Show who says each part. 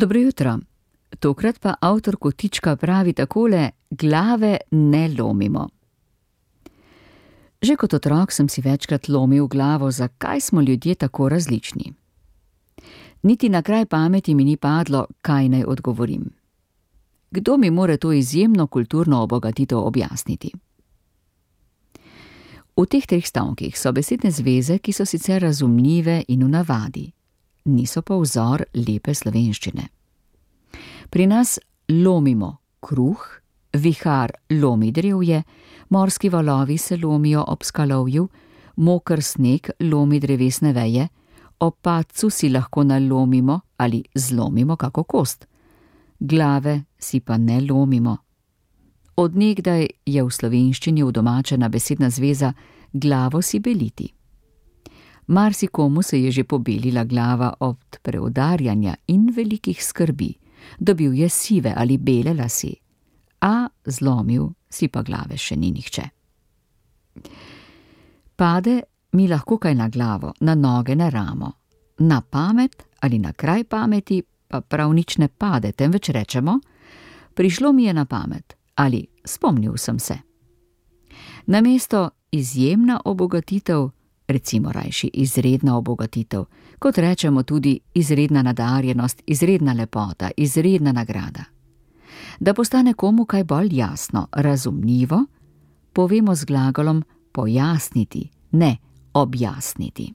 Speaker 1: Dobro jutro. Tokrat pa avtor kotička pravi takole: glave ne lomimo. Že kot otrok sem si večkrat lomil glavo, zakaj smo ljudje tako različni. Niti na kraj pameti mi ni padlo, kaj naj odgovorim. Kdo mi more to izjemno kulturno obogatitev objasniti? V teh treh stavkih so besedne zveze, ki so sicer razumljive in v navadi, niso pa vzor lepe slovenščine. Pri nas lomimo kruh, vihar lomi drevje, morski valovi se lomijo ob skalovju, moker sneg lomi drevesne veje, ob padcu si lahko nalomimo ali zlomimo kako kost. Glave si pa ne lomimo. Od nekdaj je v slovenščini udomačena besedna zveza glavo si beliti. Marsikomu se je že pobelila glava od preudarjanja in velikih skrbi, dobil je sive ali bele lase, a zlomil si pa glave še ni nihče. Pade mi lahko kaj na glavo, na noge, na ramo, na pamet ali na kraj pameti pa prav nič ne pade, temveč rečemo: prišlo mi je na pamet ali spomnil sem se. Namesto izjemna obogatitev, recimo rajši izredna obogatitev, kot rečemo tudi izredna nadarjenost, izredna lepota, izredna nagrada. Da postane komu kaj bolj jasno, razumljivo, povemo z glagolom pojasniti, ne objasniti.